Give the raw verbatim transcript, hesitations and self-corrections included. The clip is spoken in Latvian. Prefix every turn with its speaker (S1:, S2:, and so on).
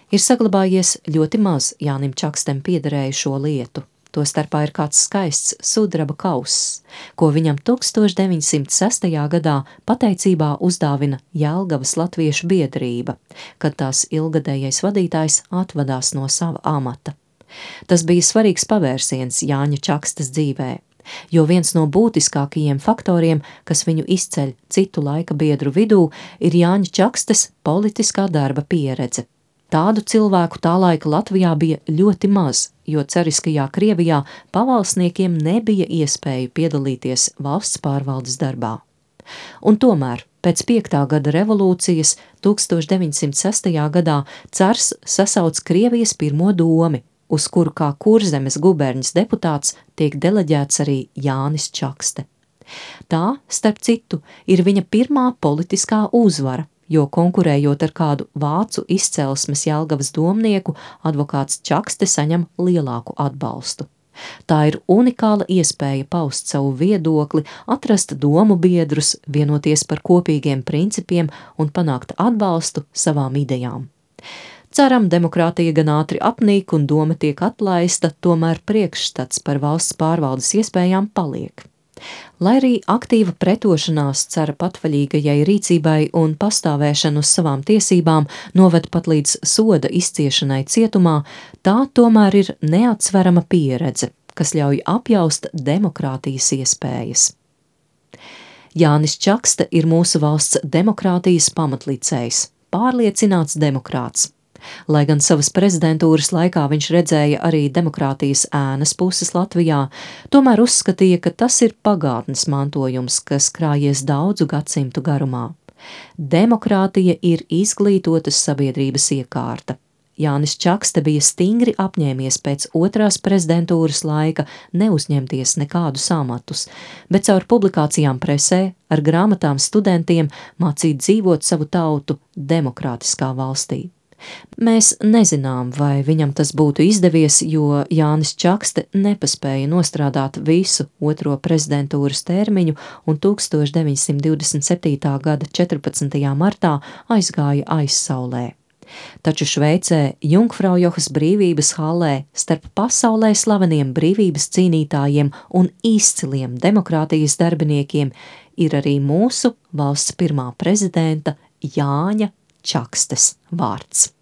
S1: Ir saglabājies ļoti maz Jānim Čakstem piederējušo lietu. Tostarpā ir kāds skaists sudraba kauss, ko viņam tūkstoš deviņsimt sestajā gadā pateicībā uzdāvina Jelgavas latviešu biedrība, kad tās ilgadējais vadītājs atvadās no sava amata. Tas bija svarīgs pavērsiens Jāņa Čakstes dzīvē, jo viens no būtiskākajiem faktoriem, kas viņu izceļ citu laika biedru vidū, ir Jāņa Čakstes politiskā darba pieredze. Tādu cilvēku tā laika Latvijā bija ļoti maz, jo cariskajā Krievijā pavalsniekiem nebija iespēju piedalīties valsts pārvaldes darbā. Un tomēr pēc piektā gada revolūcijas tūkstoš deviņsimt sestajā gadā cars sasauc Krievijas pirmo domi, uz kuru kā Kurzemes guberņas deputāts tiek deleģēts arī Jānis Čakste. Tā, starp citu, ir viņa pirmā politiskā uzvara, jo konkurējot ar kādu vācu izcelsmes Jelgavas domnieku, advokāts Čakste saņem lielāku atbalstu. Tā ir unikāla iespēja paust savu viedokli, atrast domu biedrus, vienoties par kopīgiem principiem un panākt atbalstu savām idejām. Ceram, demokrātija gan ātri apnīk un doma tiek atlaista, tomēr priekšstats par valsts pārvaldes iespējām paliek. Lai arī aktīva pretošanās cara patvaļīgajai rīcībai un pastāvēšanu uz savām tiesībām noved pat līdz soda izciešanai cietumā, tā tomēr ir neatsverama pieredze, kas ļauj apjaust demokrātijas iespējas. Jānis Čakste ir mūsu valsts demokrātijas pamatlicējs, pārliecināts demokrāts. Lai gan savas prezidentūras laikā viņš redzēja arī demokrātijas ēnas puses Latvijā, tomēr uzskatīja, ka tas ir pagātnes mantojums, kas krājies daudzu gadsimtu garumā. Demokrātija ir izglītotas sabiedrības iekārta. Jānis Čakste bija stingri apņēmies pēc otrās prezidentūras laika neuzņemties nekādus amatus, bet caur publikācijām presē, ar grāmatām studentiem mācīt dzīvot savu tautu demokrātiskā valstī. Mēs nezinām, vai viņam tas būtu izdevies, jo Jānis Čakste nepaspēja nostrādāt visu otro prezidentūras termiņu un tūkstoš deviņsimt divdesmit septītā gada četrpadsmitajā martā aizgāja aizsaulē. Taču Šveicē, Jungfraujohas brīvības hallē, starp pasaulē slaveniem brīvības cīnītājiem un izciliem demokrātijas darbiniekiem ir arī mūsu valsts pirmā prezidenta Jāņa Čakstes vārds.